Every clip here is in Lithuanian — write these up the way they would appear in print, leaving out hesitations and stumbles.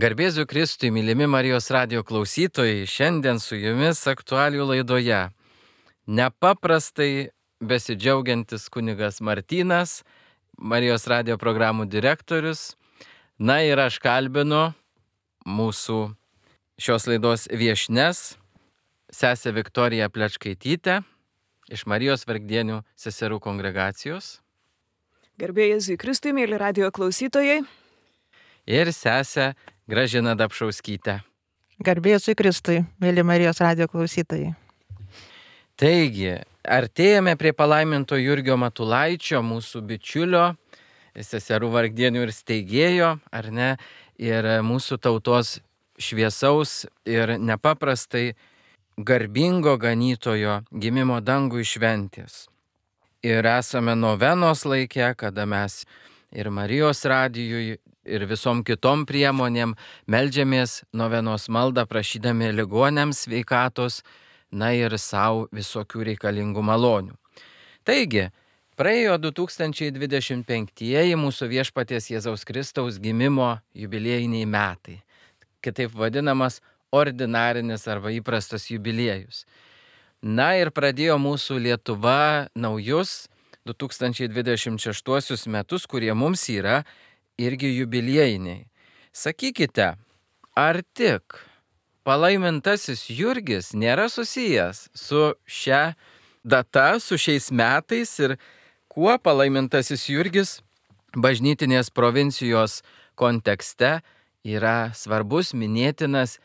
Garbėsiu Kristui, mylimi Marijos radijo klausytojai, šiandien su jumis aktualijų laidoje. Nepaprastai besidžiaugiantis kunigas Martynas, Marijos radijo programų direktorius. Na ir aš kalbinu mūsų šios laidos viešnes, sesę Viktoriją Plečkaitytę iš Marijos Vargdienių seserų kongregacijos. Garbėsiu Kristui, mėly radijo klausytojai. Ir sesę Gražiną Dapšauskytę. Garbėsiu Kristui, mėly Marijos radijo klausytojai. Taigi, artėjame prie palaiminto Jurgio Matulaičio, mūsų bičiulio, seserų Vargdienių ir steigėjo, ar ne, ir mūsų tautos šviesaus ir nepaprastai garbingo ganytojo gimimo dangui šventės. Ir esame novenos laike, kada mes ir Marijos radijui, ir visom kitom priemonėm meldžiamės novenos maldą, prašydami ligoniams sveikatos, na ir savo visokių reikalingų malonių. Taigi, praėjo 2025 mūsų viešpaties Jėzaus Kristaus gimimo jubiliejiniai metai. Kitaip vadinamas ordinarinis arba įprastas jubiliejus. Na ir pradėjo mūsų Lietuva naujus 2026 metus, kurie mums yra irgi jubiliejiniai. Sakykite, ar tik palaimintasis Jurgis nėra susijęs su šia data, su šiais metais ir kuo palaimintasis Jurgis bažnytinės provincijos kontekste yra svarbus, minėtinas?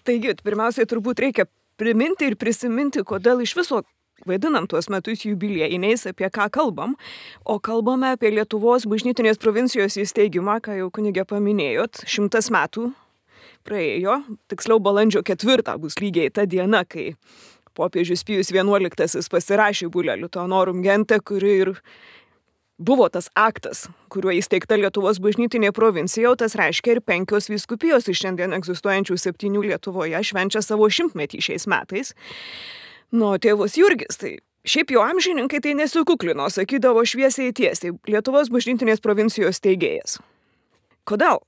Taigi, pirmiausiai turbūt reikia priminti ir prisiminti, kodėl iš viso vaidinam tuos metus jubiliejiniais, apie ką kalbam, o kalbame apie Lietuvos bažnytinės provincijos įsteigimą, ką jau kunigė paminėjot, 100 metų praėjo, tiksliau balandžio 4 bus lygiai ta diena, kai popiežius Pijus XI pasirašė Bulla Liuteonorum Gente, kuri ir buvo tas aktas, kuriuo įsteigta Lietuvos bažnytinė provincija, o tas reiškia ir 5 vyskupijos iš šiandien egzistuojančių 7 Lietuvoje švenčia savo 100-metį šiais metais. Nu, tėvas Jurgis, tai šiaip jo amžininkai tai nesikuklino, sakydavo šviesiai tiesiai, Lietuvos bažnytinės provincijos steigėjas. Kodėl?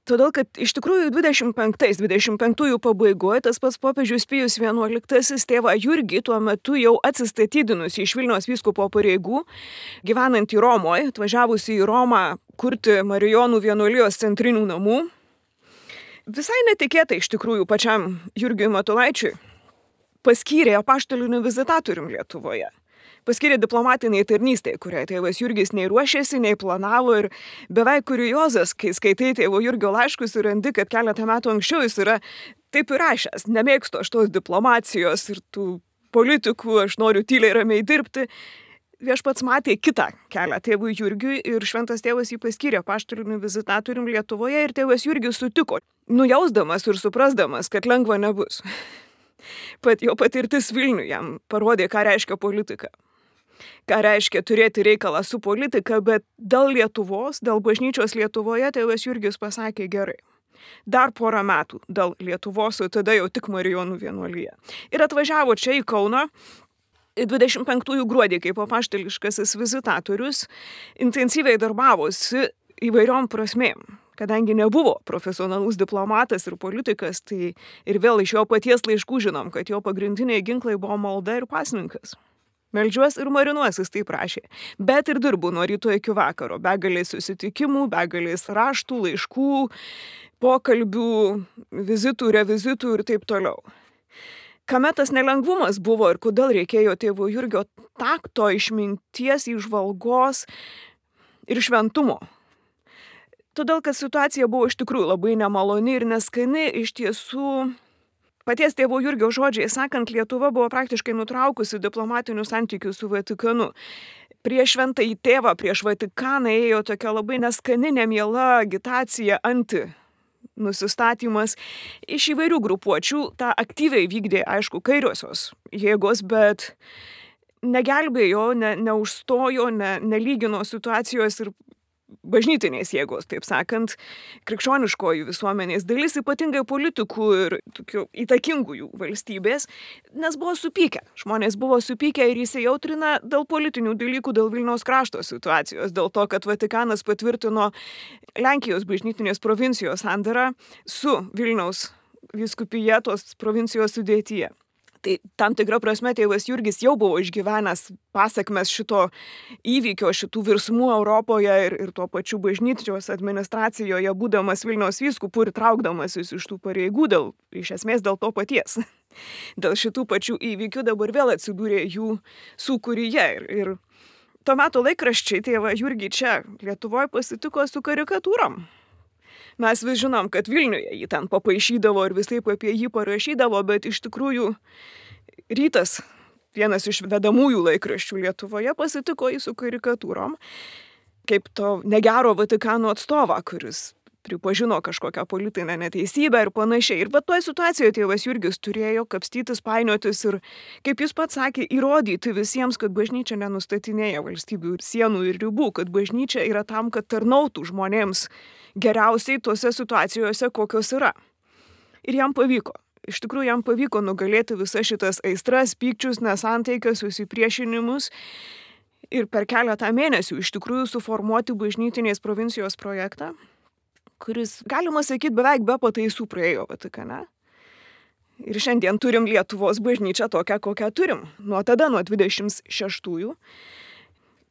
Todėl, kad iš tikrųjų 25 pabaigoje tas pats popiežius Pijus XI tėvą Jurgį tuo metu jau atsistatydinus iš Vilniaus vyskupo pareigų, gyvenant į Romoje, atvažiavus į Romą kurti Marijonų vienuolijos centrinių namų, visai netikėtai iš tikrųjų pačiam Jurgiui Matulaičiui paskyrė apaštaliniu vizitatorium Lietuvoje. Paskyrė diplomatiniai tarnystėje, kuriai tėvas Jurgis nei ruošėsi, nei planavo ir beveik kuriozas, kai skaitai tėvo Jurgio laiškus ir randi, kad keletą metų anksčiau jis yra taip ir rašęs. Nemėgstu aš tos diplomacijos ir tų politikų, aš noriu tyliai ramiai dirbti. Viešpats matė kitą kelią tėvui Jurgiui ir šventas tėvas jį paskyrė apaštaliniu vizitatorium Lietuvoje ir tėvas Jurgis sutiko, nujausdamas ir suprasdamas, kad lengva nebus. Pat jo patirtis Vilniuje jam parodė, ką reiškia politika. Ką reiškia turėti reikalą su politika, bet dėl Lietuvos, dėl bažnyčios Lietuvoje tėvas Jurgis pasakė gerai. Dar porą metų dėl Lietuvos, o tada jau tik Marijonų vienuolija. Ir atvažiavo čia į Kauną 25 gruodį kaip apaštališkasis vizitatorius, intensyviai darbavosi įvairiom prasmėm. Kadangi nebuvo profesionalus diplomatas ir politikas, tai ir vėl iš jo paties laiškų žinom, kad jo pagrindiniai ginklai buvo malda ir pasninkas. Meldžiuos ir marinuos, jis taip prašė. Bet ir dirbu nuo ryto iki vakaro. Begalės susitikimų, begalės raštų, laiškų, pokalbių, vizitų, revizitų ir taip toliau. Kame tas nelengvumas buvo ir kodėl reikėjo tėvo Jurgio takto, išminties, įžvalgos ir šventumo. Todėl, kad situacija buvo iš tikrųjų labai nemaloni ir neskani, iš tiesų, paties tėvo Jurgio žodžiai sakant, Lietuva buvo praktiškai nutraukusi diplomatinius santykius su Vatikanu. Prieš šventąjį tėvą, prieš Vatikaną ėjo tokia labai neskani, nemiela agitacija, nusistatymas iš įvairių grupuočių. Ta aktyviai vykdė, aišku, kairiosios jėgos, bet negelbėjo, neužstojo, nelygino situacijos ir bažnytinės jėgos, taip sakant, krikščioniškojų visuomenės dalis, ypatingai politikų ir tokių įtakingųjų valstybės, nes buvo supykę. Žmonės buvo supykę ir įsijautrina dėl politinių dalykų, dėl Vilniaus krašto situacijos, dėl to, kad Vatikanas patvirtino Lenkijos bažnytinės provincijos sandarą su Vilniaus vyskupija tos provincijos sudėtyje. Tai tam tikra prasme tėvas Jurgis jau buvo išgyvenęs pasakmes šito įvykio, šitų virsmų Europoje ir tuo pačiu bažnyčios administracijoje, būdamas Vilniaus vyskupu ir traukdamasis iš tų pareigų iš esmės dėl to paties. Dėl šitų pačių įvykių dabar vėl atsidūrė jų sūkuryje. Ir tuo metu laikraščiai tėvą Jurgį čia Lietuvoje pasitiko su karikatūrom. Mes vis žinom, kad Vilniuje jį ten papaišydavo ir visaip apie jį parašydavo, bet iš tikrųjų Rytas, vienas iš vedamųjų laikraščių Lietuvoje, pasitiko jį su karikatūrom, kaip to negero Vatikano atstovą, kuris pripažino kažkokią politinę neteisybę ir panašiai. Ir bet toje situacijoje tėvas Jurgis turėjo kapstytis, painiotis ir, kaip jis pats sakė, įrodyti visiems, kad bažnyčia nenustatinėja valstybių ir sienų ir ribų, kad bažnyčia yra tam, kad tarnautų žmonėms geriausiai tose situacijose, kokios yra. Ir jam pavyko. Iš tikrųjų, jam pavyko nugalėti visas šitas aistras, pykčius, nesantaikas, susipriešinimus ir per keletą mėnesių iš tikrųjų suformuoti bažnytinės provincijos projektą, kuris, galima sakyti, beveik be pataisų praėjo Vatikane. Ir šiandien turim Lietuvos bažnyčią tokią, kokią turim. Nuo tada, nuo 26-ųjų.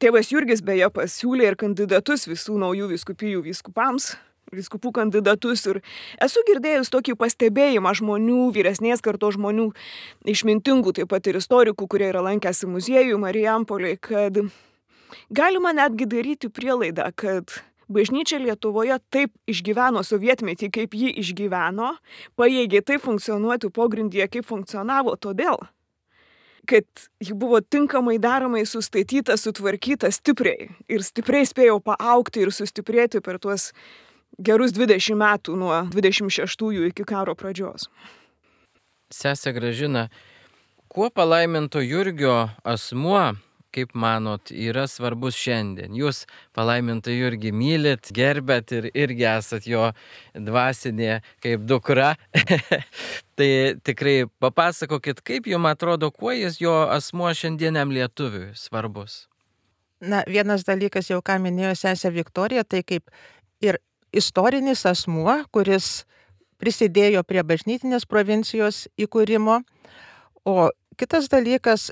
Tėvas Jurgis beje pasiūlė ir kandidatus visų naujų vyskupijų vyskupams, vyskupų kandidatus. Ir esu girdėjus tokį pastebėjimą žmonių, vyresnės kartos žmonių, išmintingų, taip pat ir istorikų, kurie yra lankęsi muziejų Marijampolėje, kad galima netgi daryti prielaidą, kad bažnyčia Lietuvoje taip išgyveno sovietmetį, kaip ji išgyveno, pajėgė taip funkcionuoti pogrindyje, kaip funkcionavo, todėl, kad ji buvo tinkamai daromai sustatyta, sutvarkyta stipriai ir stipriai spėjo paaugti ir sustiprėti per tuos gerus 20 metų nuo 26-ųjų iki karo pradžios. Sese Gražina, kuo palaiminto Jurgio asmuo, kaip manot, yra svarbus šiandien? Jūs palaimintą Jurgį mylit, gerbėt ir irgi esat jo dvasinė kaip dukra. Tai tikrai papasakokit, kaip jums atrodo, kuo jis jo asmuo šiandieniam lietuviui svarbus? Na, vienas dalykas jau ką minėjo sesė Viktorija, tai kaip ir istorinis asmuo, kuris prisidėjo prie bažnytinės provincijos įkūrimo, o kitas dalykas,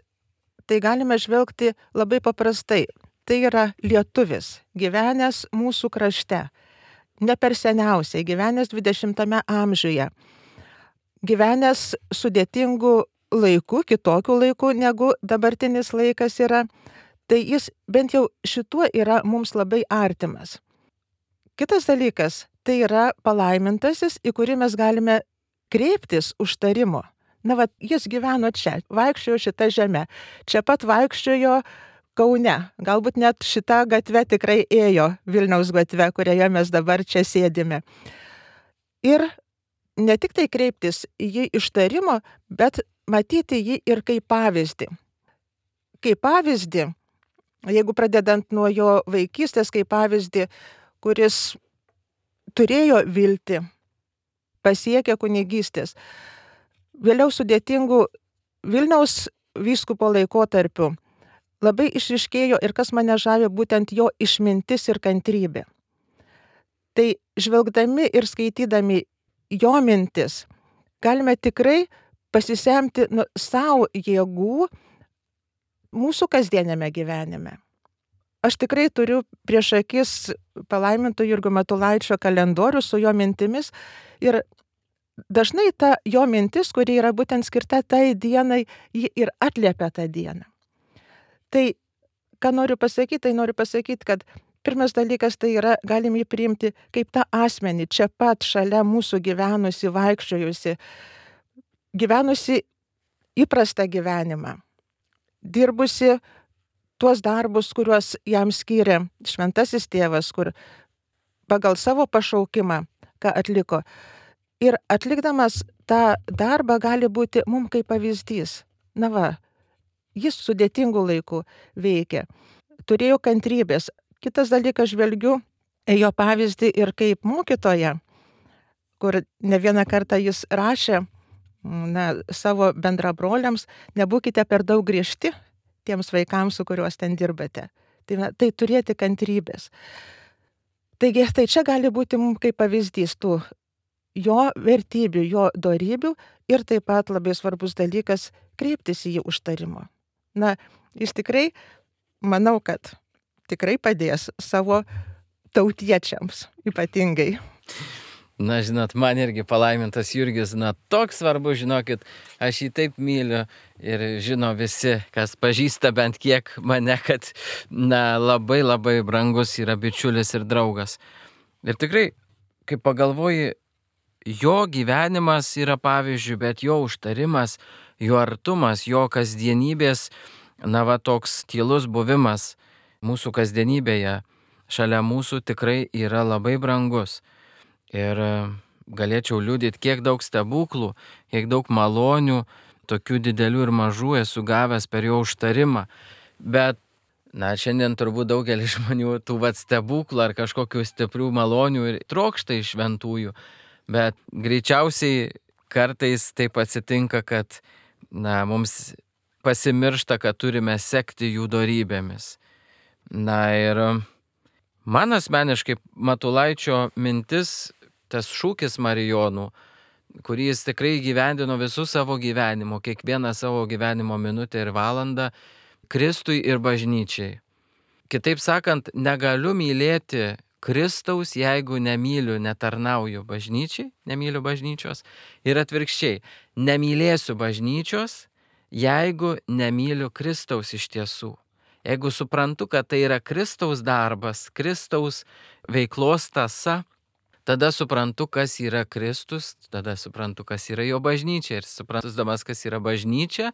tai galime žvelgti labai paprastai. Tai yra lietuvis, gyvenęs mūsų krašte, ne per seniausiai, gyvenęs 20 amžiuje, gyvenęs sudėtingų laikų, kitokių laikų negu dabartinis laikas yra, tai jis bent jau šituo yra mums labai artimas. Kitas dalykas, tai yra palaimintasis, į kurį mes galime kreiptis užtarimo. Na, jis gyveno čia, vaikščiojo šitą žemę, čia pat vaikščiojo Kaune, galbūt net šitą gatvę tikrai ėjo, Vilniaus gatvę, kurioje mes dabar čia sėdime. Ir ne tik tai kreiptis į jį ištarimo, bet matyti jį ir kaip pavyzdį. Kaip pavyzdį, jeigu pradedant nuo jo vaikystės, kaip pavyzdį, kuris turėjo viltį, pasiekė kunigystės. Vėliau sudėtingų Vilniaus vyskupo laikotarpiu labai išryškėjo ir kas mane žavė būtent jo išmintis ir kantrybė. Tai žvelgdami ir skaitydami jo mintis galime tikrai pasisemti savo jėgų mūsų kasdienėme gyvenime. Aš tikrai turiu prieš akis palaiminto Jurgio Matulaičio kalendorių su jo mintimis ir dažnai ta jo mintis, kuri yra būtent skirta tai dienai, ji ir atliepia tą dieną. Tai, ką noriu pasakyti, kad pirmas dalykas tai yra, galim jį priimti kaip tą asmenį, čia pat šalia mūsų gyvenusi, vaikščiojusi, gyvenusi įprastą gyvenimą, dirbusi tuos darbus, kuriuos jam skyrė šventasis tėvas, kur pagal savo pašaukimą, ką atliko. Ir atlikdamas tą darbą gali būti mums kaip pavyzdys. Na va, jis sudėtingų laikų veikė. Turėjo kantrybės. Kitas dalykas, žvelgiu ėjo pavyzdį ir kaip mokytoja, kur ne vieną kartą jis rašė savo bendrabroliams, nebūkite per daug griežti tiems vaikams, su kuriuos ten dirbate. Tai turėti kantrybės. Taigi, tai čia gali būti mums kaip pavyzdys tų jo vertybių, jo dorybių ir taip pat labai svarbus dalykas kreiptis į jį užtarimo. Jis tikrai, manau, kad tikrai padės savo tautiečiams ypatingai. Žinot, man irgi palaimintas Jurgis, toks svarbu, žinokit, aš jį taip myliu ir žino visi, kas pažįsta bent kiek mane, kad, labai labai brangus yra bičiulis ir draugas. Ir tikrai, kai pagalvoji, jo gyvenimas yra pavyzdžiui, bet jo užtarimas, jo artumas, jo kasdienybės, toks tylus buvimas mūsų kasdienybėje, šalia mūsų tikrai yra labai brangus. Ir galėčiau liudyti, kiek daug stebuklų, kiek daug malonių, tokių didelių ir mažų esu gavęs per jo užtarimą. Bet, šiandien turbūt daugelis žmonių tų stebuklų ar kažkokių stiprių malonių ir trokšta iš šventųjų. Bet greičiausiai kartais taip atsitinka, kad, mums pasimiršta, kad turime sekti jų dorybėmis. Ir man asmeniškai Matulaičio mintis, tas šūkis Marijonų, kurį jis tikrai gyvendino visų savo gyvenimo, kiekvieną savo gyvenimo minutę ir valandą, Kristui ir bažnyčiai. Kitaip sakant, negaliu mylėti Kristaus, jeigu nemyliu, netarnauju bažnyčiai, nemyliu bažnyčios. Ir atvirkščiai, nemylėsiu bažnyčios, jeigu nemyliu Kristaus iš tiesų. Jeigu suprantu, kad tai yra Kristaus darbas, Kristaus veiklos tąsa, tada suprantu, kas yra Kristus, tada suprantu, kas yra jo bažnyčia. Ir suprantusdamas, kas yra bažnyčia,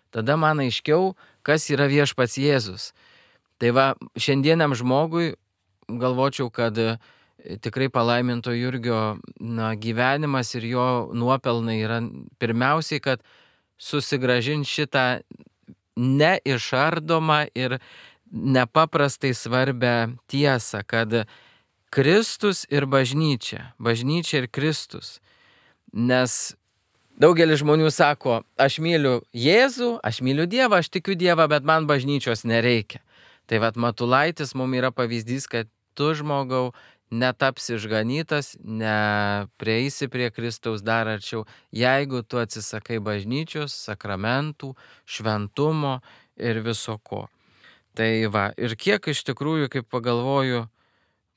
tada man aiškiau, kas yra viešpats Jėzus. Tai šiandieniam žmogui galvočiau, kad tikrai palaiminto Jurgio gyvenimas ir jo nuopelnai yra pirmiausiai, kad susigrąžint šitą neišardomą ir nepaprastai svarbę tiesą, kad Kristus ir bažnyčia ir Kristus. Nes daugelis žmonių sako, aš myliu Jėzų, aš myliu Dievą, aš tikiu Dievą, bet man bažnyčios nereikia. Tai Matulaitis mums yra pavyzdys, kad tu, žmogau, netapsi išganytas, neprieisi prie Kristaus dar arčiau, jeigu tu atsisakai bažnyčios, sakramentų, šventumo ir viso ko. Tai ir kiek iš tikrųjų, kaip pagalvoju,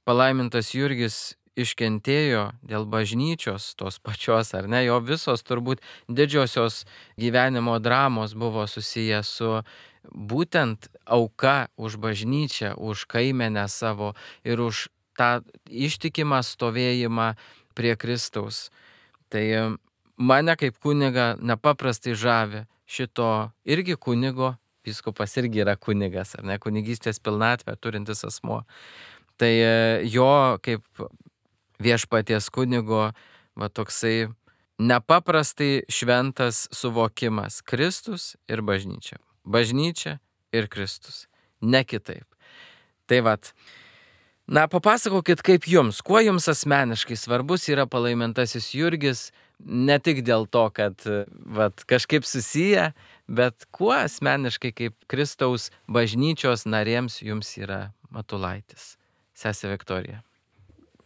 palaimintas Jurgis iškentėjo dėl bažnyčios tos pačios, ar ne, jo visos turbūt didžiosios gyvenimo dramos buvo susiję su būtent auka už bažnyčią, už kaimenę savo ir už tą ištikimą stovėjimą prie Kristaus. Tai mane kaip kunigą nepaprastai žavi šito irgi kunigo, vyskupas irgi yra kunigas, ar ne, kunigystės pilnatvę turintis asmuo. Tai jo kaip viešpaties kunigo toksai nepaprastai šventas suvokimas Kristus ir bažnyčia. Bažnyčia ir Kristus. Ne kitaip. Tai papasakokit kaip jums, kuo jums asmeniškai svarbus yra palaimintasis Jurgis, ne tik dėl to, kad kažkaip susiję, bet kuo asmeniškai kaip Kristaus bažnyčios narėms jums yra Matulaitis. Sesė Viktorija.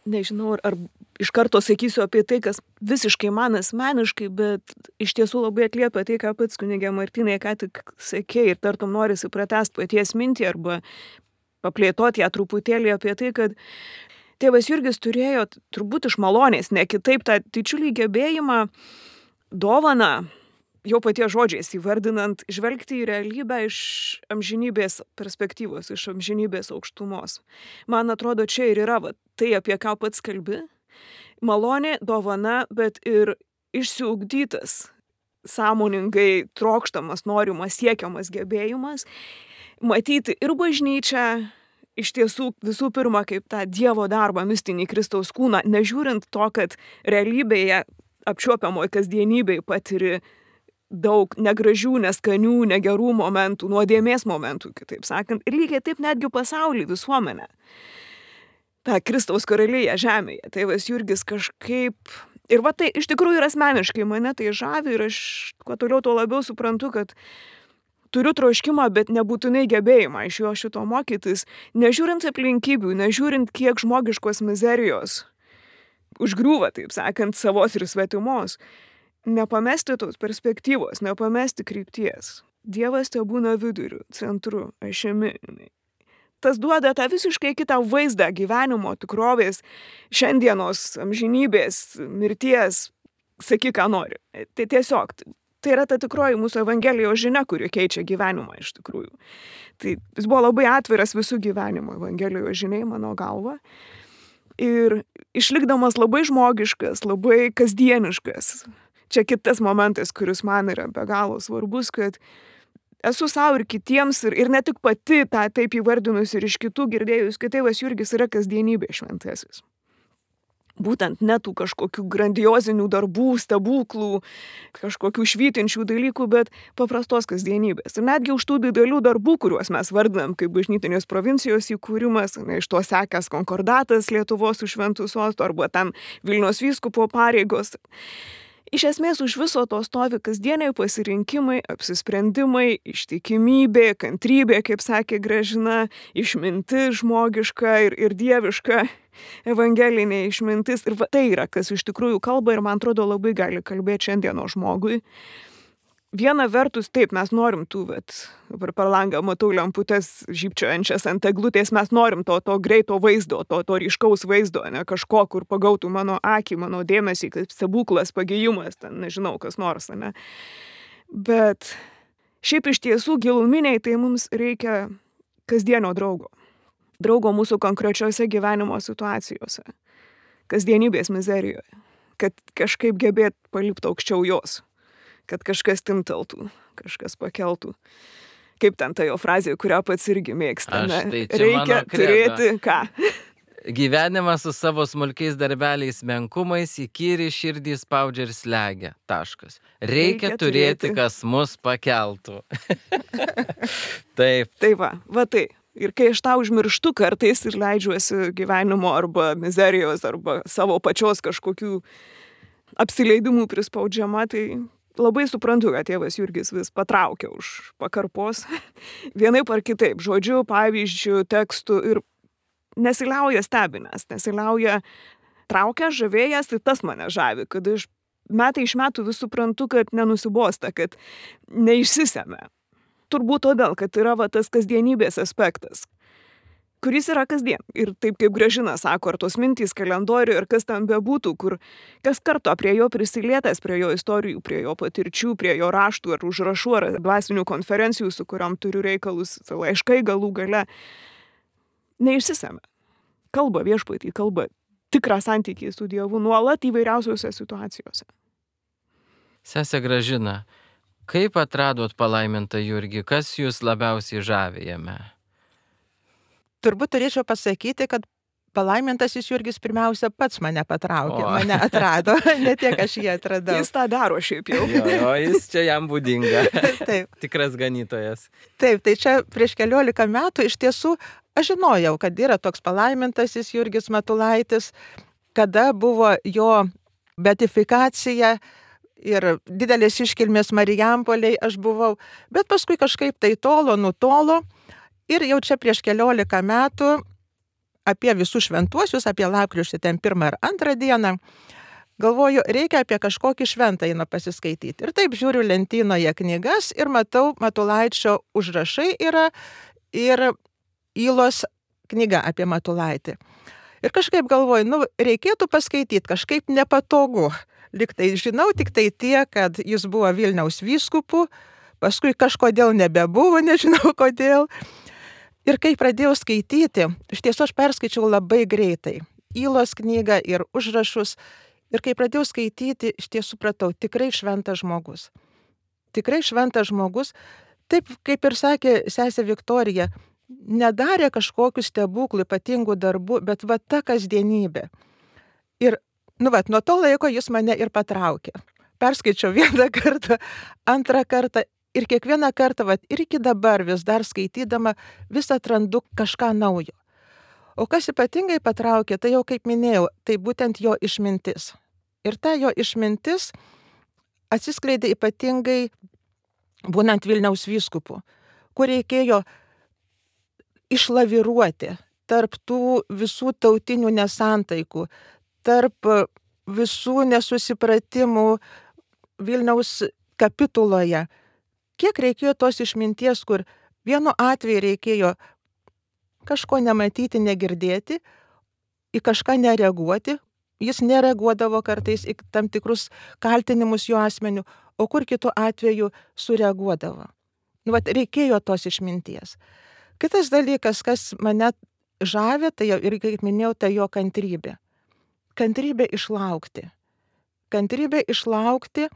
Nežinau, ar iš karto sakysiu apie tai, kas visiškai man asmeniškai, bet iš tiesų labai atliepia tai, ką pats kunigė Martynai ką tik sakė ir tartum norisi pratęsti paties mintį arba paplėtoti ją truputėlį apie tai, kad tėvas Jurgis turėjo turbūt iš malonės, ne kitaip tą didžiulį gebėjimą, dovaną, jau paties žodžiais įvardinant, žvelgti į realybę iš amžinybės perspektyvos, iš amžinybės aukštumos. Man atrodo, čia ir yra tai, apie ką pats kalbi. Malonė, dovana, bet ir išsiugdytas, sąmoningai trokštamas, norimas, siekiamas gebėjimas matyti ir bažnyčią, iš tiesų visų pirma kaip tą Dievo darbą, mistinį Kristaus kūną, nežiūrint to, kad realybėje apčiuopiamoje kasdienybėje patiri daug negražių, neskanių, negerų momentų, nuodėmės momentų, kitaip sakant, ir lygiai taip netgi pasaulį, visuomenę. tą Kristaus karalystę žemėje. Tėvas Jurgis kažkaip... Ir va tai iš tikrųjų ir asmeniškai mane tai žavi ir aš kuo toliau tuo labiau suprantu, kad turiu troškimą, bet nebūtinai gebėjimą iš jo šito mokytis, nežiūrint aplinkybių, nežiūrint kiek žmogiškos mizerijos užgriūva, taip sakant, savos ir svetimos, nepamesti tos perspektyvos, nepamesti krypties. Dievas te būna viduriu, centru, ašimi. Tas duoda tą visiškai kitą vaizdą gyvenimo, tikrovės, šiandienos, amžinybės, mirties, sakyk, ką nori. Tai tiesiog, tai yra ta tikroji mūsų Evangelijos žinia, kuri keičia gyvenimą iš tikrųjų. Tai jis buvo labai atviras visų gyvenimo Evangelijos žiniai, mano galva. Ir išlikdamas labai žmogiškas, labai kasdieniškas. Čia kitas momentas, kuris man yra be galo svarbus, kad esu savo ir kitiems, ir ne tik pati tą taip įvardinus ir iš kitų girdėjus, kad tėvas Jurgis yra kasdienybė šventasis. Būtent ne tų kažkokių grandiozinių darbų, stebuklų, kažkokių švytinčių dalykų, bet paprastos kasdienybės. Ir netgi už tų didelių darbų, kuriuos mes vardinam kaip bažnytinės provincijos įkūrimas, iš to sekęs konkordatas Lietuvos su šventu sostu arba tam Vilniaus vyskupo pareigos. Iš esmės už viso to stovi kasdieniai pasirinkimai, apsisprendimai, ištikimybė, kantrybė, kaip sakė Gražina, išmintis žmogiška ir dieviška, evangelinė išmintis. Ir tai yra, kas iš tikrųjų kalba ir man atrodo labai gali kalbėti šiandieno žmogui. Viena vertus, taip, mes norim tų, dabar per langą matau lemputes žybčiojančias ant eglutės, mes norim to greito vaizdo, to ryškaus vaizdo, ne kažko, kur pagautų mano akį, mano dėmesį, kaip stebuklas, pagėjimas, ten nežinau, kas nors, ne. Bet šiaip iš tiesų giluminiai tai mums reikia kasdienio draugo. Draugo mūsų konkrečiose gyvenimo situacijose, kasdienybės mizerijoje, kad kažkaip gebėt palipti aukščiau jos. Kad kažkas timteltų, kažkas pakeltų. Kaip ten ta jo frazė, kurią pats irgi mėgsta. Tai reikia turėti ką? Gyvenimas su savo smulkiais darbeliais menkumais įkyri širdį spaudžia ir slegia. Taškas. Reikia turėti, kas mus pakeltų. Taip. Tai va tai. Ir kai aš tą užmirštu kartais ir leidžiuosi gyvenimo arba mizerijos arba savo pačios kažkokių apsileidimų prispaudžiama, tai labai suprantu, kad tėvas Jurgis vis patraukia už pakarpos. Vienaip ar kitaip, žodžiu, pavyzdžių, tekstų ir nesiliauja stebinęs, nesiliauja traukia, žavėjęs, tai tas mane žavi, kad aš metai iš metų vis suprantu, kad nenusibosta, kad neišsisemia. Turbūt todėl, kad yra tas kasdienybės aspektas, kuris yra kasdien. Ir taip kaip Gražina sako, ar tos mintys kalendorių, ir kas ten bebūtų, kur kas karto prie jo prisilietęs, prie jo istorijų, prie jo patirčių, prie jo raštų ar užrašų, ar dvasinių konferencijų, su kuriom turiu reikalus, laiškai galų gale, neišsisemia. Kalba viešpatį, kalba tikrą santykį su Dievu nuolat įvairiausiose situacijose. Sese Gražina, kaip atradot palaimintą Jurgį? Kas jūs labiausiai žavi jame? Turbūt turėčiau pasakyti, kad palaimintasis Jurgis pirmiausia pats mane patraukė, mane atrado, ne tiek aš jį atradau. Jis tą daro šiaip jau. Jo, jis čia jam būdinga. Taip. Tikras ganytojas. Taip, tai čia prieš 14 metų iš tiesų aš žinojau, kad yra toks palaimintasis Jurgis Matulaitis, kada buvo jo beatifikacija ir didelės iškilmės Marijampolėj aš buvau, bet paskui kažkaip tai nutolo. Ir jau čia prieš 14 metų apie visus šventuosius, apie lapkričio ten 1 ir 2 dieną, galvoju, reikia apie kažkokį šventąjį pasiskaityti. Ir taip žiūriu lentynoje knygas ir matau, Matulaičio užrašai yra ir Ylos knyga apie Matulaitį. Ir kažkaip galvoju, reikėtų paskaityti, kažkaip nepatogu. Liktai žinau tik tai tie, kad jis buvo Vilniaus vyskupu, paskui kažkodėl nebebuvo, nežinau kodėl. Ir kai pradėjau skaityti, iš tiesų aš perskaičiau labai greitai Ylos knygą ir užrašus. Ir kai pradėjau skaityti, iš tiesų supratau, tikrai šventas žmogus. Tikrai šventas žmogus. Taip, kaip ir sakė sesė Viktorija, nedarė kažkokių stebuklų, ypatingų darbų, bet ta kasdienybė. Ir, nuo to laiko jis mane ir patraukė. Perskaičiau 1 kartą, 2 kartą. Ir kiekvieną kartą, ir iki dabar vis dar skaitydama, vis atrandu kažką naujo. O kas ypatingai patraukė, tai jau kaip minėjau, tai būtent jo išmintis. Ir ta jo išmintis atsiskleidė ypatingai būnant Vilniaus vyskupu, kur reikėjo išlaviruoti tarp tų visų tautinių nesantaikų, tarp visų nesusipratimų Vilniaus kapituloje. Kiek reikėjo tos išminties, kur vienu atveju reikėjo kažko nematyti, negirdėti, į kažką nereaguoti, jis nereaguodavo kartais į tam tikrus kaltinimus jo asmeniu, o kur kitu atveju sureaguodavo. Vat reikėjo tos išminties. Kitas dalykas, kas mane žavė, tai jau irgi, kaip minėjau, tai jo kantrybė. Kantrybė išlaukti. Kantrybė išlaukti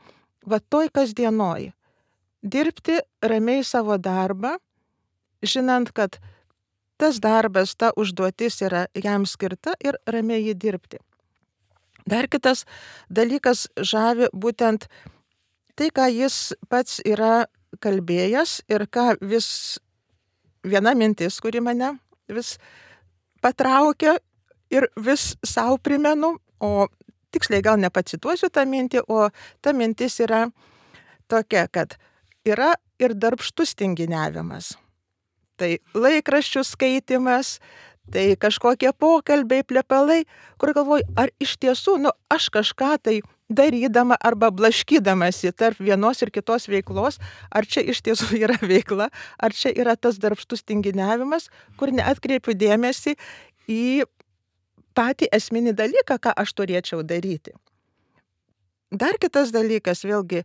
va toj kasdienoj. Dirbti ramiai savo darbą, žinant, kad tas darbas, ta užduotis yra jam skirta ir ramiai jį dirbti. Dar kitas dalykas žavi būtent tai, ką jis pats yra kalbėjęs ir ką vis viena mintis, kuri mane vis patraukia ir vis savo primenu, o tiksliai gal nepacituosiu tą mintį, o ta mintis yra tokia, kad yra ir darbštus tinginiavimas. Tai laikraščių skaitimas, tai kažkokie pokalbiai, plepalai, kur galvoju, ar iš tiesų, aš kažką tai darydama arba blaškydamasi tarp vienos ir kitos veiklos, ar čia iš tiesų yra veikla, ar čia yra tas darbštus tinginiavimas, kur neatkreipiu dėmesį į patį esminį dalyką, ką aš turėčiau daryti. Dar kitas dalykas, vėlgi,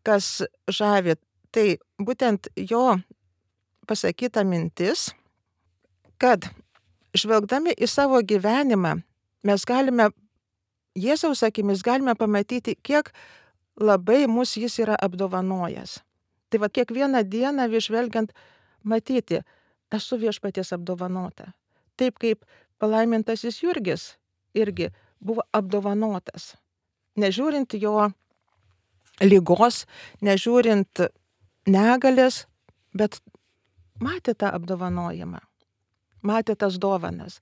kas žavi, tai būtent jo pasakyta mintis, kad žvelgdami į savo gyvenimą mes galime, Jėzaus akimis galime pamatyti, kiek labai mus jis yra apdovanojęs. Tai va kiekvieną dieną vis žvelgiant matyti, esu viešpaties apdovanota. Taip kaip palaimintasis Jurgis irgi buvo apdovanotas. Nežiūrint jo ligos, nežiūrint negalės, bet matė tą apdovanojimą, matė tas dovanas.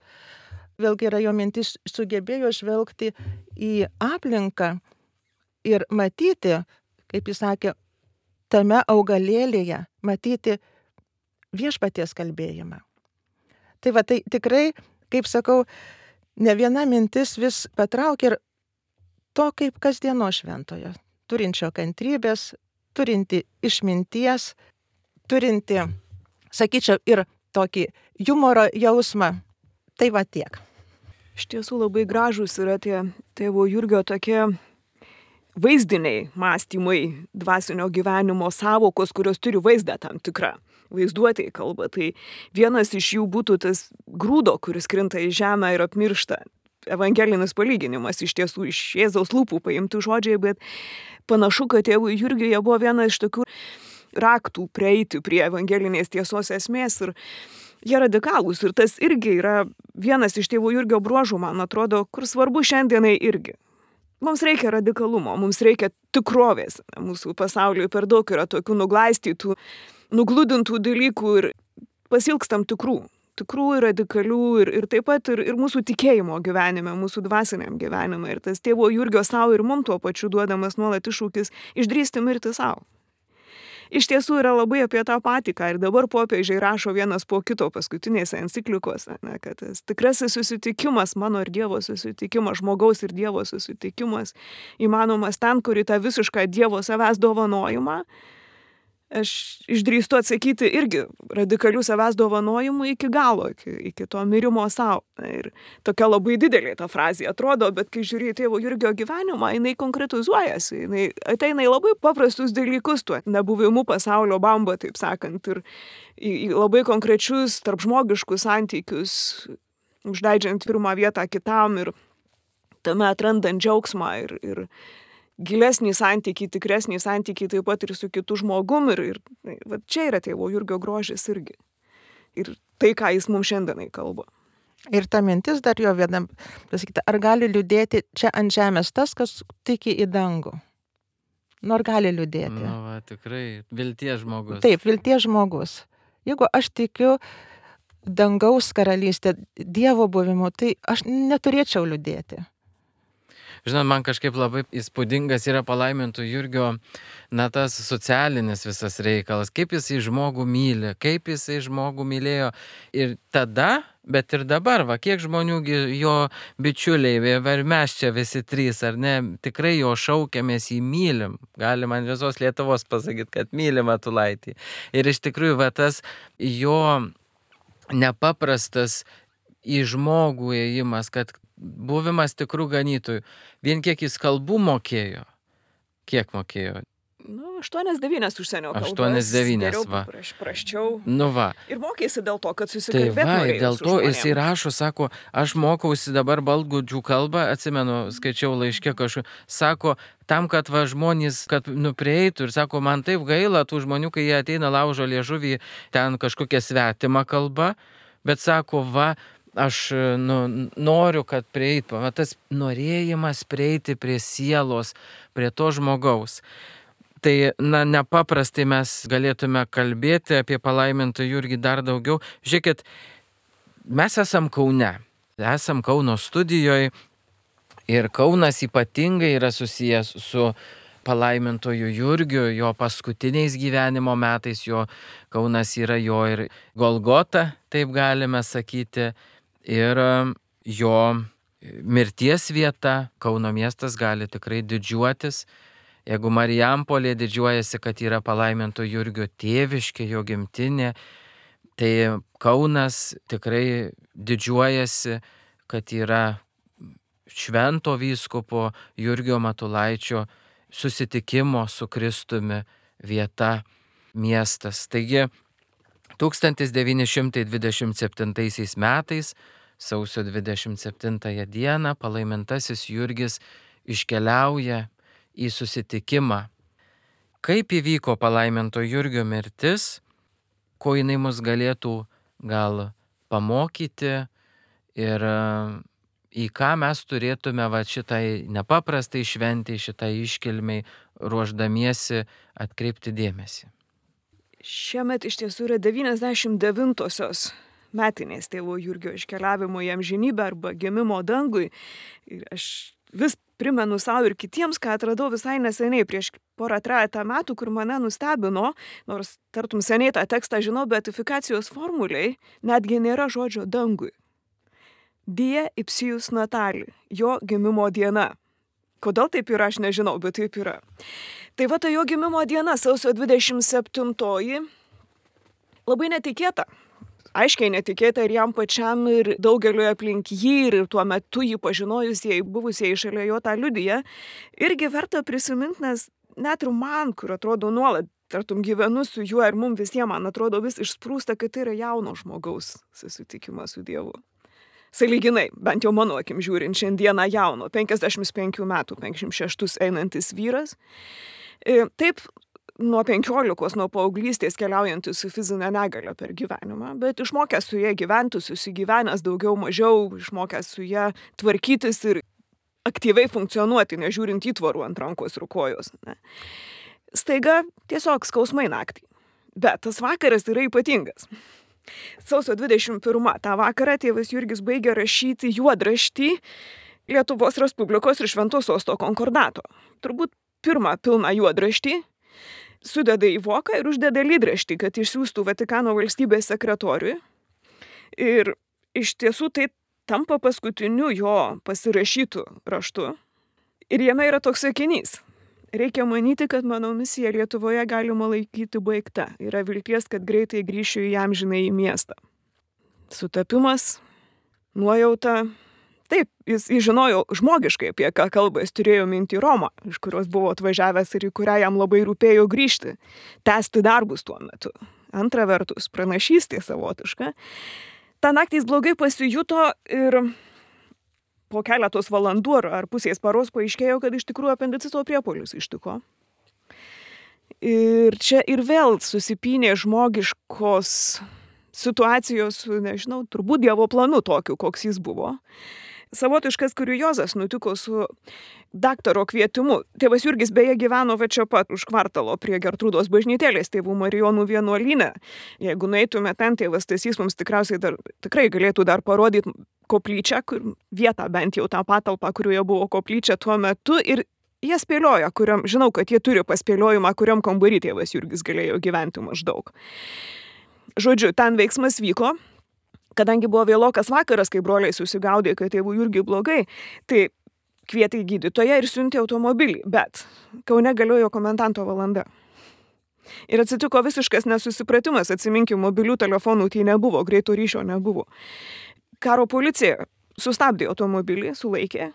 Vėlgi yra jo mintis, sugebėjo žvelgti į aplinką ir matyti, kaip jis sakė, tame augalėlėje, matyti viešpaties kalbėjimą. Tai va, tai tikrai, kaip sakau, ne viena mintis vis patraukia ir to kaip kasdieno šventojo, turinčio kantrybės, turinti išminties, turinti, sakyčiau, ir tokį humoro jausmą. Tai va tiek. Iš tiesų labai gražus yra tie tėvo Jurgio tokie vaizdiniai mąstymai dvasinio gyvenimo savokos, kurios turi vaizdą tam tikrą. Vaizduotėj kalba. Tai vienas iš jų būtų tas grūdo, kuris krinta į žemę ir apmiršta. Evangelinis palyginimas, iš tiesų iš Jėzaus lūpų paimti žodžiai, bet panašu, kad tėvui Jurgiui jie buvo viena iš tokių raktų prieiti prie evangelinės tiesos esmės ir jie radikalūs. Ir tas irgi yra vienas iš tėvo Jurgio bruožų, man atrodo, kur svarbu šiandienai irgi. Mums reikia radikalumo, mums reikia tikrovės. Mūsų pasaulyje per daug yra tokių nuglaistytų, nugludintų dalykų ir pasilgstam tikrų ir radikalių ir taip pat ir mūsų tikėjimo gyvenime, mūsų dvasiniam gyvenime. Ir tas tėvo Jurgio savo ir mums tuo pačiu duodamas nuolat iššūkis išdrįsti mirti savo. Iš tiesų yra labai apie tą patį, ką ir dabar popiežiai rašo vienas po kito paskutinėse enciklikose, kad tas tikrasis susitikimas, mano ir Dievo susitikimas, žmogaus ir Dievo susitikimas, įmanomas ten, kur į tą visišką Dievo savęs dovanojimą, aš išdrįstu atsakyti irgi radikalių savęs dovanojimų iki galo, iki to mirimo savo. Ir tokia labai didelė ta frazė atrodo, bet kai žiūri į tėvo Jurgio gyvenimą, jinai konkretizuojasi, jinai ateina į labai paprastus dalykus, tuo nebuvimu pasaulio bamba, taip sakant, ir į labai konkrečius tarpžmogiškus santykius, užleidžiant pirmą vietą kitam ir tame atrandant džiaugsmą ir gilesnį santykį, tikresnį santykį taip pat ir su kitu žmogum ir va, čia yra tėvo Jurgio grožis irgi. Ir tai, ką jis mums šiandienai kalba. Ir ta mintis dar jo vienam pasakyti, ar gali liūdėti čia ant žemės tas, kas tiki į dangų? Ar gali liūdėti? Va, tikrai, vilties žmogus. Taip, vilties žmogus. Jeigu aš tikiu dangaus karalystė, Dievo buvimu, tai aš neturėčiau liūdėti. Žinot, man kažkaip labai įspūdingas yra palaiminto Jurgio, tas socialinis visas reikalas, kaip jisai žmogų myli, kaip jisai žmogų mylėjo ir tada, bet ir dabar, kiek žmonių jo bičiuliai, ir mes čia visi trys, ar ne, tikrai jo šaukiamės, jį mylim. Galima ant visos Lietuvos pasakyti, kad mylim Matulaitį. Ir iš tikrųjų, tas jo nepaprastas į žmogų ėjimas, kad buvimas tikrų ganytojų. Vien kiek jis kalbų mokėjo? Kiek mokėjo? 8-9 užsienio kalbas. 8-9, va. Praščiau. Ir mokėsi dėl to, kad susikalbėtų. Tai ir dėl to jisai rašo, sako, aš mokausi dabar baltgudžių kalbą, atsimenu, skaičiau laiške kažkur, sako, tam, kad žmonės, kad prieitų ir sako, man taip gaila tų žmonių, kai jie ateina laužo liežuvį, ten kažkokia svetima kalba, bet sako, aš noriu, kad prieitų. Tas norėjimas prieiti prie sielos, prie to žmogaus. Tai, nepaprastai mes galėtume kalbėti apie palaimintą Jurgį dar daugiau. Žiūrėkit, mes esam Kaune, esam Kauno studijoje ir Kaunas ypatingai yra susijęs su palaimintoju Jurgiu, jo paskutiniais gyvenimo metais, Kaunas yra jo ir Golgota, taip galime sakyti, ir jo mirties vieta. Kauno miestas gali tikrai didžiuotis. Jeigu Marijampolė didžiuojasi, kad yra palaiminto Jurgio tėviškė, jo gimtinė, tai Kaunas tikrai didžiuojasi, kad yra švento vyskupo Jurgio Matulaičio susitikimo su Kristumi vieta, miestas. Taigi 1927 metais, sausio 27 dieną, palaimintasis Jurgis iškeliauja į susitikimą. Kaip įvyko palaiminto Jurgio mirtis, ko jinai mus galėtų gal pamokyti ir į ką mes turėtume šitai nepaprastai šventai, šitai iškilmei ruošdamiesi atkreipti dėmesį. Šiemet iš tiesų yra 99-osios metinės tėvo Jurgio iškeliavimo į amžinybę arba gimimo dangui. Ir aš vis primenu savo ir kitiems, ką atradau visai neseniai, prieš 2-3 metų, kur mane nustebino, nors tartum seniai tą tekstą žinau, beatifikacijos formuliai netgi nėra žodžio dangui. Die ipsijus natali, jo gimimo diena. Kodėl taip yra, aš nežinau, bet taip yra. Tai ta jo gimimo diena, sausio 27-oji, labai netikėta. Aiškiai netikėta ir jam pačiam, ir daugeliu aplink jį, ir tuo metu jį pažinojusieji, buvusieji šalia jo tą liudiją. Irgi verta prisiminti, nes net ir man, kur atrodo nuolat, tartum gyvenu su juo ir mums visiems, man atrodo vis išsprūsta, kad tai yra jauno žmogaus susitikimas su Dievu. Sąlyginai, bent jau mano akim žiūrint, šiandieną jauno, 55 metų, 56 einantis vyras. Taip, nuo 15, nuo paauglystės keliaujantis su fizinė negalia per gyvenimą, bet išmokęs su ja gyventi, susigyvenęs daugiau mažiau, išmokęs su ja tvarkytis ir aktyviai funkcionuoti, nežiūrint įtvarų ant rankos ir kojos. Ne. Staiga tiesiog skausmai naktį. Bet tas vakaras yra ypatingas. Sausio 21 tą vakarą tėvas Jurgis baigė rašyti juodraštį Lietuvos Respublikos ir Švento Sosto konkordato. Turbūt pirmą pilną juodraštį. Sudeda į voką ir uždeda lydraštį, kad išsiųstų Vatikano valstybės sekretoriui. Ir iš tiesų tai tampa paskutiniu jo pasirašytų raštu. Ir jame yra toks sakinys. Reikia manyti, kad mano misija Lietuvoje galima laikyti baigta. Yra vilties, kad greitai grįšiu į amžinai į miestą. Sutapimas, nuojauta. Taip, jis žinojo žmogiškai, apie ką kalba, jis turėjo mintį Romą, iš kurios buvo atvažiavęs ir į kurią jam labai rūpėjo grįžti, tęsti darbus tuo metu. Antra vertus, pranašystė savotiška. Ta naktį jis blogai pasijuto ir po keletos valandų ar pusės paros paaiškėjo, kad iš tikrųjų apendicito priepuolis ištiko. Ir čia ir vėl susipynė žmogiškos situacijos, nežinau, turbūt Dievo planu tokiu, koks jis buvo. savotiškas kuriozas nutiko su daktaro kvietimu. Tėvas Jurgis beje gyveno va čia pat už kvartalo prie Gertrūdos bažnytėlės tėvų Marijonų vienuolyne. Jeigu nueitume ten, tėvas Stasys mums tikrai galėtų dar parodyti koplyčią, vietą bent jau tą patalpą, kurioje buvo koplyčia tuo metu. Ir jie spėlioja, žinau, kad jie turi paspėliojimą, kuriam kambarį tėvas Jurgis galėjo gyventi maždaug. Žodžiu, ten veiksmas vyko. Kadangi buvo vėlokas vakaras, kai broliai susigaudė, kad tėvų Jurgiui blogai, tai kvietė į gydytoją ir siuntė automobilį, bet Kaune galiojo komendanto valanda. Ir atsitiko visiškas nesusipratimas, atsiminkim, mobilių telefonų tai nebuvo, greito ryšio nebuvo. Karo policija sustabdė automobilį, sulaikė,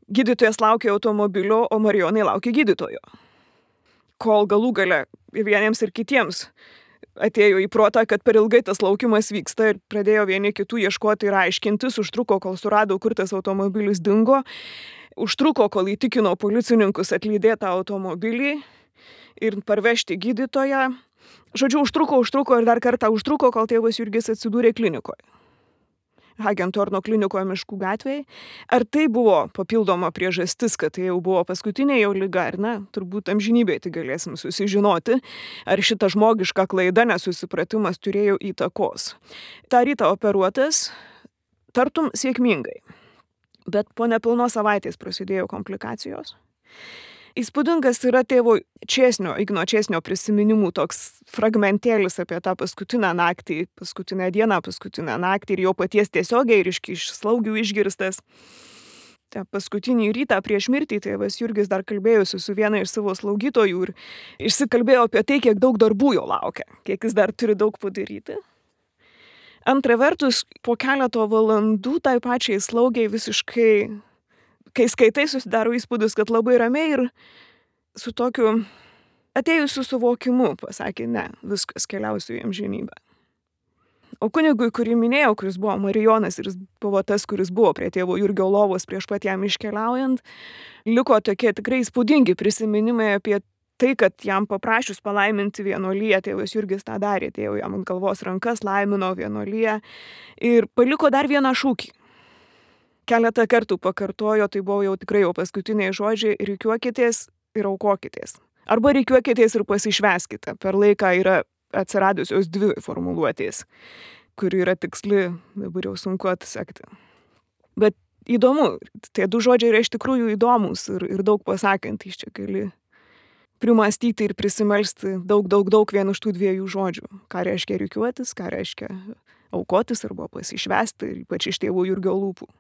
gydytojas laukė automobilio, o Marijonai laukė gydytojo. Kol galų gale vieniems ir kitiems atėjo į protą, kad per ilgai tas laukimas vyksta ir pradėjo vieni kitų ieškoti ir aiškintis, užtruko, kol surado, kur tas automobilis dingo, užtruko, kol įtikino policininkus atlydėti tą automobilį ir parvežti gydytoją. Žodžiu, užtruko ir dar kartą užtruko, kol tėvas Jurgis atsidūrė klinikoje. Hagentorno klinikoje Miškų gatvėje. Ar tai buvo papildoma priežastis, kad tai jau buvo paskutinė jo liga, ar ne, turbūt amžinybėje tai galėsim susižinoti, ar šita žmogiška klaida, nesusipratimas turėjo įtakos. Ta rytą operuotas, tartum sėkmingai, bet po nepilnos savaitės prasidėjo komplikacijos. Įspūdingas yra tėvo Igno Čėsnio prisiminimų toks fragmentėlis apie tą paskutinę dieną naktį ir jo paties tiesiogiai ir iš slaugių išgirstas. Ta paskutinį rytą prieš mirtį tėvas Jurgis dar kalbėjosi su viena iš savo slaugytojų ir išsikalbėjo apie tai, kiek daug darbų jo laukia, kiek jis dar turi daug padaryti. Antra vertus, po keleto valandų tai pačiai slaugiai visiškai, kai skaitai, susidaro įspūdis, kad labai ramiai ir su tokiu atėjusiu suvokimu pasakė, ne, viskas, keliausiu į amžinybę. O kunigui, kurį minėjau, kuris buvo Marijonas ir jis buvo tas, kuris buvo prie tėvo Jurgio lovos prieš pat jam iškeliaujant, liko tokie tikrai įspūdingi prisiminimai apie tai, kad jam paprašius palaiminti vienuoliją, tėvas Jurgis tą darė, tėvo jam ant galvos rankas laimino vienuoliją ir paliko dar vieną šūkį. Keletą kartų pakartojo, tai buvo jau tikrai paskutiniai žodžiai, rikiuokitės ir aukokitės. Arba rikiuokitės ir pasišvęskite. Per laiką yra atsiradusios dvi formuluotės, kuri yra tiksli, dabar jau sunku atsekti. Bet įdomu, tie du žodžiai yra iš tikrųjų įdomus ir daug pasakantys, čia gali primastyti ir prisimelsti daug vien iš tų dviejų žodžių. Ką reiškia rikiuotis, ką reiškia aukotis arba pasišvęsti, ir ypač iš tėvų Jurgio lūpų.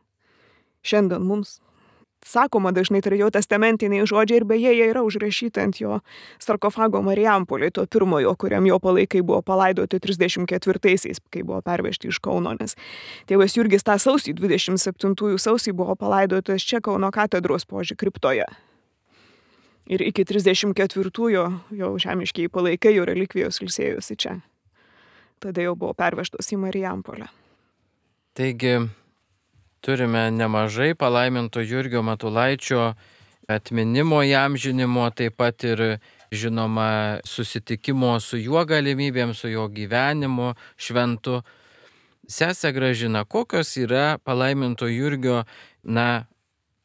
Šiandien mums sakoma dažnai tai jo testamentiniai žodžiai ir beje jie yra užrašyti ant jo sarkofago Marijampolėje, to pirmojo, kuriam jo palaikai buvo palaidoti 34-aisiais, kai buvo pervežti iš Kauno, nes tėvas Jurgis tą sausį, 27 sausį buvo palaidotas čia Kauno katedros poži kriptoje. Ir iki 34-ųjų jo žemiškiai palaikai, jo relikvijos ilsėjosi čia. Tada jau buvo pervežtos į Marijampolę. Taigi, turime nemažai palaiminto Jurgio Matulaičio atminimo įamžinimo, taip pat ir, žinoma, susitikimo su juo galimybėm, su jo gyvenimu šventu. Sese Gražina, kokios yra palaiminto Jurgio,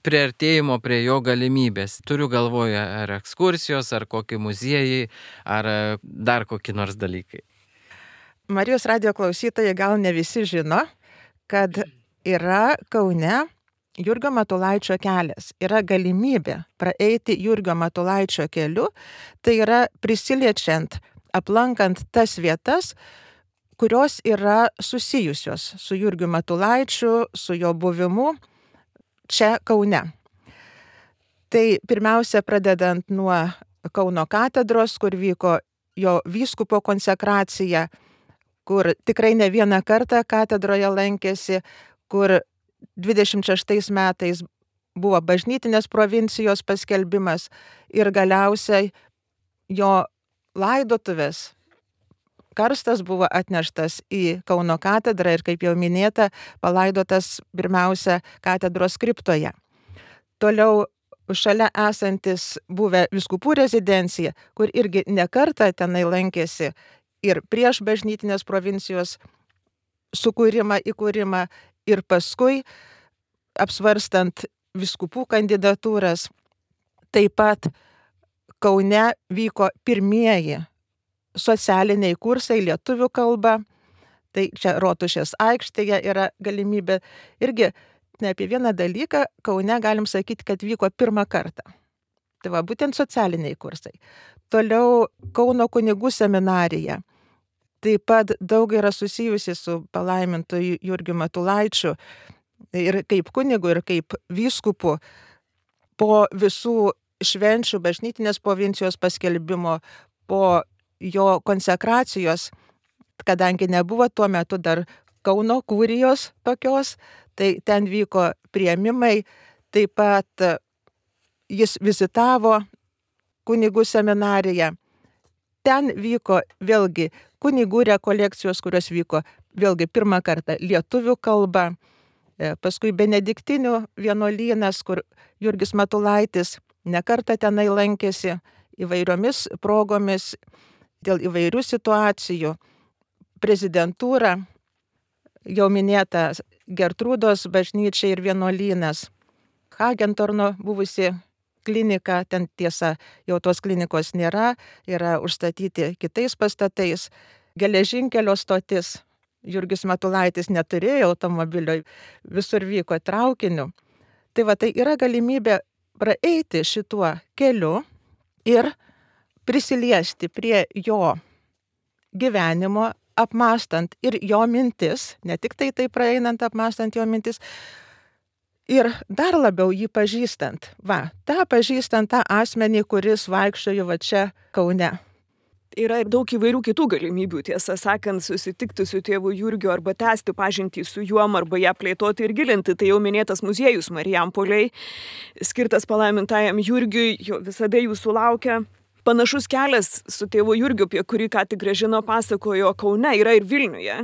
priartėjimo prie jo galimybės? Turiu galvoje, ar ekskursijos, ar kokie muziejai, ar dar kokie nors dalykai. Marijos radijo klausytojai gal ne visi žino, kad yra Kaune Jurgio Matulaičio kelias. Yra galimybė praeiti Jurgio Matulaičio keliu, tai yra prisiliečiant, aplankant tas vietas, kurios yra susijusios su Jurgiu Matulaičiu, su jo buvimu čia Kaune. Tai pirmiausia, pradedant nuo Kauno katedros, kur vyko jo vyskupo konsekracija, kur tikrai ne vieną kartą katedroje lankėsi, kur 26 metais buvo bažnytinės provincijos paskelbimas ir galiausiai jo laidotuvės karstas buvo atneštas į Kauno katedrą ir, kaip jau minėta, palaidotas pirmiausia katedros kriptoje. Toliau šalia esantis buvę vyskupų rezidencija, kur irgi nekartą tenai lankėsi ir prieš bažnytinės provincijos įkūrimą ir paskui apsvarstant vyskupų kandidatūras. Taip pat Kaune vyko pirmieji socialiniai kursai lietuvių kalba. Tai čia Rotušės aikštėje yra galimybė. Irgi ne apie vieną dalyką Kaune galim sakyti, kad vyko pirmą kartą. Tai va, būtent socialiniai kursai. Toliau Kauno kunigų seminarija. Taip pat daug yra susijusi su palaimintu Jurgiu Matulaičiu ir kaip kunigu, ir kaip vyskupu. Po visų švenčių bažnytinės provincijos paskelbimo, po jo konsekracijos, kadangi nebuvo tuo metu dar Kauno kurijos tokios, tai ten vyko priėmimai, taip pat jis vizitavo kunigų seminariją. Ten vyko vėlgi kunigų rekolekcijos, kurios vyko vėlgi pirmą kartą lietuvių kalba, paskui benediktinių vienuolynas, kur Jurgis Matulaitis nekartą tenai lankėsi įvairiomis progomis dėl įvairių situacijų. Prezidentūra, jau minėta Gertrūdos bažnyčia ir vienuolynas, Hagentorno buvusi klinika, ten tiesa jau tos klinikos nėra, yra užstatyti kitais pastatais. Geležinkelio stotis, Jurgis Matulaitis neturėjo automobilio, visur vyko traukiniu. Tai va, tai yra galimybė praeiti šituo keliu ir prisiliesti prie jo gyvenimo, apmąstant ir jo mintis, ne tik tai praeinant, apmąstant jo mintis, ir dar labiau jį pažįstant. Va, pažįstant tą asmenį, kuris vaikščiojo va čia Kaune. Yra ir daug įvairių kitų galimybių, tiesą sakant, susitikti su tėvu Jurgiu arba tęsti pažintį su juom, arba ją plėtoti ir gilinti. Tai jau minėtas muziejus Marijampolėj, skirtas palaimintajam Jurgiui, visada jūsų laukia. Panašus kelias su tėvu Jurgiu, apie kurį ką tik Gražina pasakojo, Kaune yra ir Vilniuje.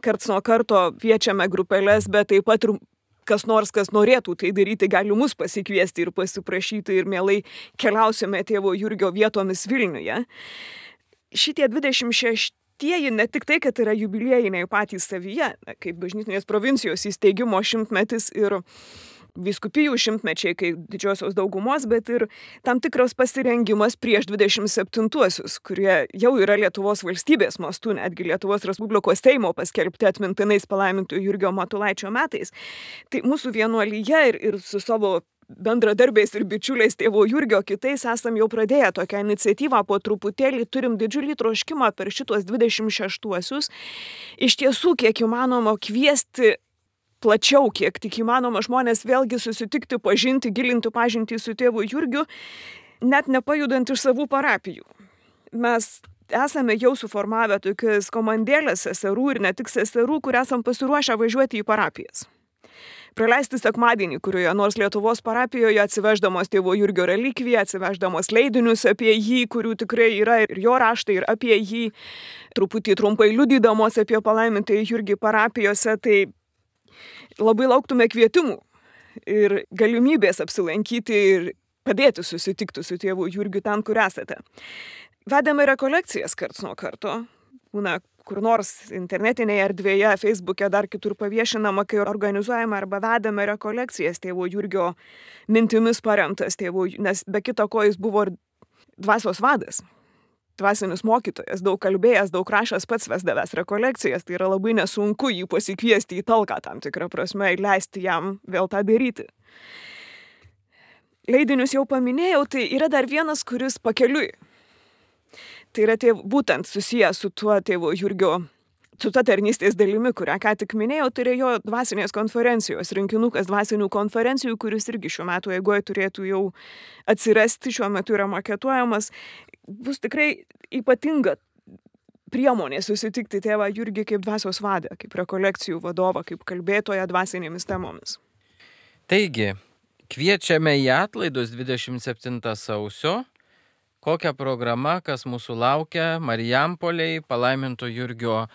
Karts nuo karto kviečiame grupelės, bet taip pat ir kas nors, kas norėtų tai daryti, gali mus pasikviesti ir pasiprašyti ir mielai keliausime tėvo Jurgio vietomis Vilniuje. Šitie 26-ieji ne tik tai, kad yra jubiliejiniai patys savyje, kaip bažnytinės provincijos įsteigimo 100-metis ir vyskupijų 100-mečiai, kaip didžiosios daugumos, bet ir tam tikras pasirengimas prieš 27-uosius, kurie jau yra Lietuvos valstybės mastu, netgi Lietuvos Respublikos Seimo paskelbti atmintinais palaimintų Jurgio Matulaičio metais. Tai mūsų vienuolyje ir su savo bendradarbiais ir bičiuliais tėvo Jurgio kitais esam jau pradėję tokią iniciatyvą, po truputėlį turim didžiulį troškimą per šitos 26-uosius iš tiesų kiek įmanoma kviesti plačiau, kiek tik įmanoma žmonės vėlgi susitikti, pažinti, gilinti pažintį su tėvu Jurgiu, net nepajudant iš savų parapijų. Mes esame jau suformavę tokias komandėlės seserų ir ne tik seserų, kur esam pasiruošę važiuoti į parapijas. Praleisti sekmadienį, kurioje nors Lietuvos parapijoje atsiveždamos tėvo Jurgio relikviją, atsiveždamos leidinius apie jį, kurių tikrai yra ir jo raštai, ir apie jį, truputį trumpai liudydamos apie palaimintąjį Jurgį parapijose, tai labai lauktume kvietimų ir galimybės apsilankyti ir padėti susitikti su tėvu Jurgiu ten, kur esate. Vedame rekolekcijas karts nuo karto, būna kur nors internetinėje erdvėje, Facebook'e, dar kitur paviešinama, kai organizuojame arba vedame rekolekcijas tėvo Jurgio mintimis paremtas tėvo, nes be kita ko jis buvo ir dvasios vadas, dvasinis mokytojas, daug kalbėjęs, daug rašęs, pats vesdavęs rekolekcijas, tai yra labai nesunku jį pasikviesti į talką tam tikrą prasme ir leisti jam vėl tą daryti. Leidinius jau paminėjau, tai yra dar vienas, kuris pakeliui. Tai yra būtent susijęs su tuo tėvo Jurgio, su ta tarnystės dalimi, kurią ką tik minėjau, tai yra jo dvasinės konferencijos, rinkinukas dvasinių konferencijų, kuris irgi šiuo metu eigoje turėtų jau atsirasti, šiuo metu yra maketuojamas. Bus tikrai ypatinga priemonė susitikti tėvą Jurgį kaip dvasios vadą, kaip rekolekcijų vadovą, kaip kalbėtoją dvasinėmis temomis. Taigi, kviečiame į atlaidus 27 sausio. Kokia programa, kas mūsų laukia Marijampolėj, palaiminto Jurgio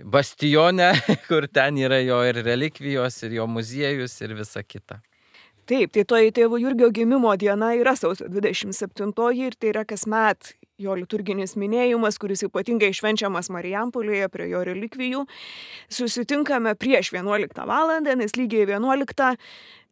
bastione, kur ten yra jo ir relikvijos, ir jo muziejus, ir visa kita. Taip, tai toji tėvo Jurgio gimimo diena yra sausio 27 ir tai yra kasmet jo liturginis minėjimas, kuris ypatingai švenčiamas Marijampolėje prie jo relikvijų. Susitinkame prieš 11 valandą, nes lygiai 11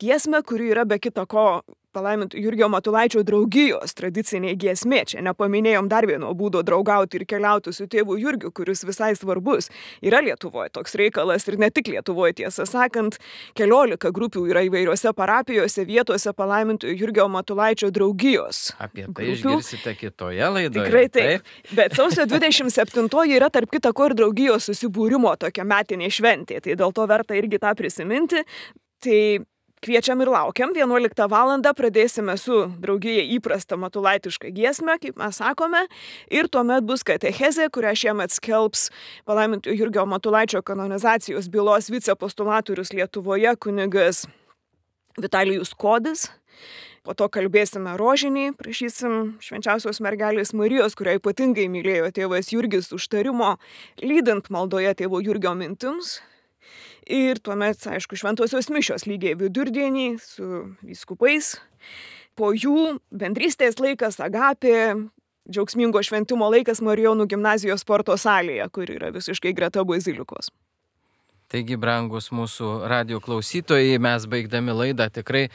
giesmę, kuri yra be kita ko palaiminto Jurgio Matulaičio draugijos tradicinė giesmė. Čia nepaminėjom dar vieno būdo draugauti ir keliauti su tėvu Jurgiu, kuris visai svarbus. Yra Lietuvoje toks reikalas ir ne tik Lietuvoje, tiesą sakant, 14 grupių yra įvairiose parapijose, vietose palaiminto Jurgio Matulaičio draugijos. Apie tai išgirsite kitoje laidoje. Tikrai taip. Bet sausio 27 yra tarp kita ko ir draugijos susibūrimo tokia metinė šventė. Tai dėl to verta irgi tą prisiminti. Tai kviečiam ir laukiam. 11 valandą pradėsime su draugija įprasta matulaitiška giesmė, kaip mes sakome. Ir tuomet bus katechezė, kurią šiemet skelbs palaiminto Jurgio Matulaičio kanonizacijos bylos vicepostulatorius Lietuvoje kunigas Vitalijus Kodis. Po to kalbėsime rožinį, prašysim švenčiausios mergelės Marijos, kurią ypatingai mylėjo tėvas Jurgis, užtarimo, lydint maldoje tėvo Jurgio mintims. Ir tuomet, aišku, šventosios mišios lygiai vidurdienį su vyskupais. Po jų bendrystės laikas, agapė, džiaugsmingo šventimo laikas Marijonų gimnazijos sporto salėje, kur yra visiškai greta bazilikos. Taigi, brangus mūsų radijo klausytojai, mes baigdami laidą tikrai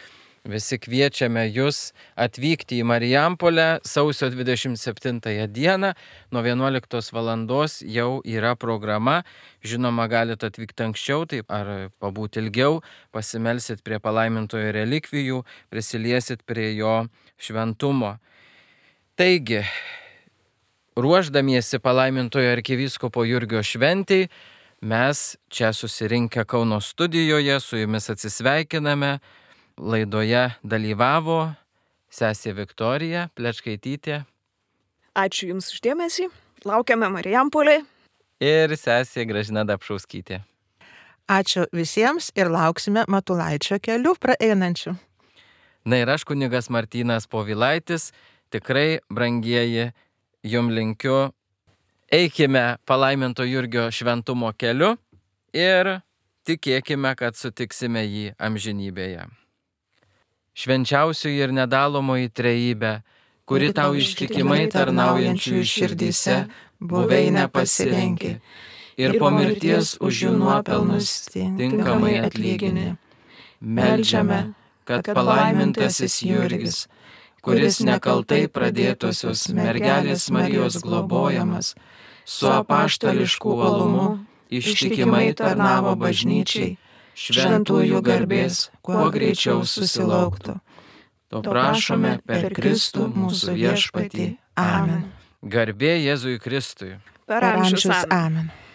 visi kviečiame jūs atvykti į Marijampolę sausio 27 dieną. Nuo 11 valandos jau yra programa. Žinoma, galite atvykti anksčiau, taip ar pabūti ilgiau, pasimelsit prie palaimintojo relikvijų, prisiliesit prie jo šventumo. Taigi, ruošdamiesi palaimintojo arkivyskupo Jurgio šventei, mes čia susirinkę Kauno studijoje su jumis atsisveikiname. Laidoje dalyvavo sesė Viktorija Plečkaitytė. Ačiū Jums už dėmesį. Laukiame Marijampolėje. Ir sesė Gražina Dapšauskytė. Ačiū visiems ir lauksime Matulaičio kelių praeinančių. Na ir aš, kunigas Martynas Povilaitis, tikrai, brangieji, jum linkiu, eikime palaiminto Jurgio šventumo keliu ir tikėkime, kad sutiksime jį amžinybėje. Švenčiausioji ir nedalomoji trejybė, kuri tau ištikimai tarnaujančiųjų širdyse buveinę pasirenki ir po mirties už jų nuopelnus tinkamai atlygini. Meldžiame, kad palaimintasis Jurgis, kuris nekaltai pradėtosios mergelės Marijos globojamas, su apaštališku uolumu ištikimai tarnavo bažnyčiai, šventųjų garbės kuo greičiau susilauktų. To prašome per Kristų mūsų viešpatį. Amen. Garbė Jėzui Kristui. Per amžius. Amen. Amen.